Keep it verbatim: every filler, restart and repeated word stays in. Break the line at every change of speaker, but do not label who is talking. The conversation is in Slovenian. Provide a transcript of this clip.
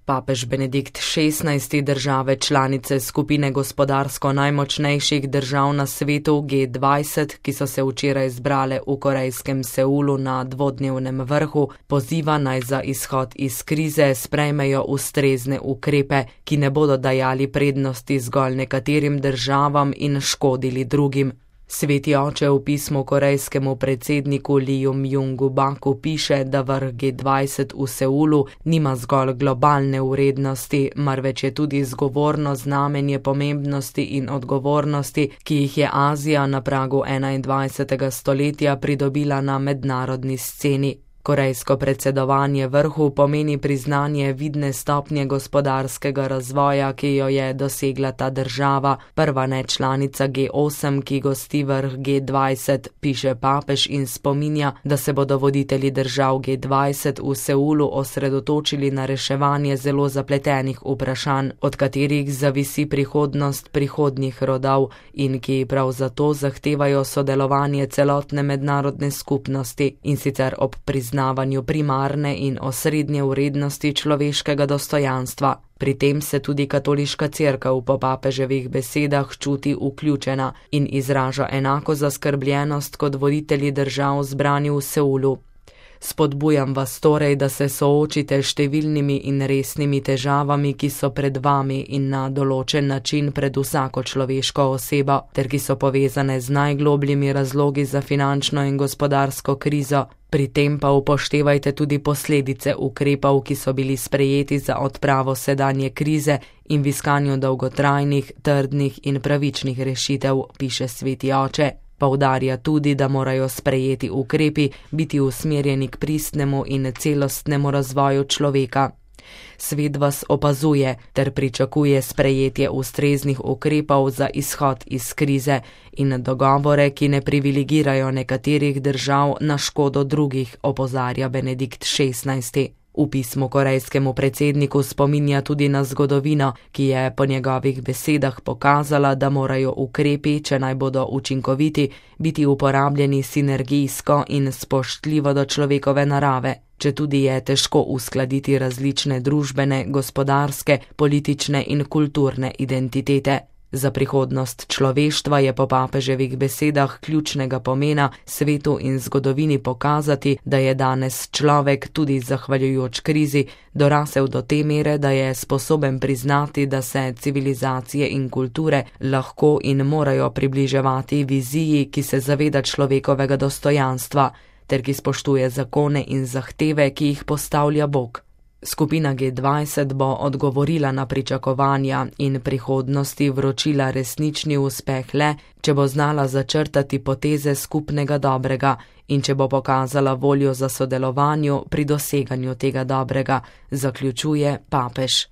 Papež Benedikt šestnajsti države članice skupine gospodarsko najmočnejših držav na svetu G dvajset, ki so se včeraj zbrale v korejskem Seulu na dvodnevnem vrhu, poziva naj za izhod iz krize sprejmejo ustrezne ukrepe, ki ne bodo dajali prednosti zgolj nekaterim državam in škodili drugim. Sveti oče v pismu korejskemu predsedniku Liju Mjungu Baku piše, da vrh G dvajset v Seulu nima zgolj globalne vrednosti, marveč je tudi zgovorno znamenje pomembnosti in odgovornosti, ki jih je Azija na pragu enaindvajsetega stoletja pridobila na mednarodni sceni. Korejsko predsedovanje vrhu pomeni priznanje vidne stopnje gospodarskega razvoja, ki jo je dosegla ta država, prva nečlanica G osem, ki gosti vrh G dvajset, piše papež in spominja, da se bodo voditelji držav G dvajset v Seulu osredotočili na reševanje zelo zapletenih vprašanj, od katerih zavisi prihodnost prihodnjih rodov in ki prav zato zahtevajo sodelovanje celotne mednarodne skupnosti, in sicer ob priznanju priznavanju primarne in osrednje vrednosti človeškega dostojanstva. Pri tem se tudi katoliška cerkev po papeževih besedah čuti vključena in izraža enako zaskrbljenost kot voditelji držav zbrani v Seulu. Spodbujam vas torej, da se soočite s številnimi in resnimi težavami, ki so pred vami in na določen način pred vsako človeško osebo, ter ki so povezane z najglobljimi razlogi za finančno in gospodarsko krizo. Pri tem pa upoštevajte tudi posledice ukrepov, ki so bili sprejeti za odpravo sedanje krize in v iskanju dolgotrajnih, trdnih in pravičnih rešitev, piše sveti oče. Poudarja tudi, da morajo sprejeti ukrepi biti usmerjeni k pristnemu in celostnemu razvoju človeka. Svet vas opazuje ter pričakuje sprejetje ustreznih ukrepov za izhod iz krize in dogovore, ki ne privilegirajo nekaterih držav na škodo drugih, opozarja Benedikt šestnajsti. V pismu korejskemu predsedniku spominja tudi na zgodovino, ki je po njegovih besedah pokazala, da morajo ukrepi, če naj bodo učinkoviti, biti uporabljeni sinergijsko in spoštljivo do človekove narave, četudi je težko uskladiti različne družbene, gospodarske, politične in kulturne identitete. Za prihodnost človeštva je po papeževih besedah ključnega pomena svetu in zgodovini pokazati, da je danes človek, tudi zahvaljujoč krizi, dorasel do te mere, da je sposoben priznati, da se civilizacije in kulture lahko in morajo približevati viziji, ki se zaveda človekovega dostojanstva, ter ki spoštuje zakone in zahteve, ki jih postavlja Bog. Skupina G dvajset bo odgovorila na pričakovanja in prihodnosti vročila resnični uspeh le, če bo znala začrtati poteze skupnega dobrega in če bo pokazala voljo za sodelovanju pri doseganju tega dobrega, zaključuje papež.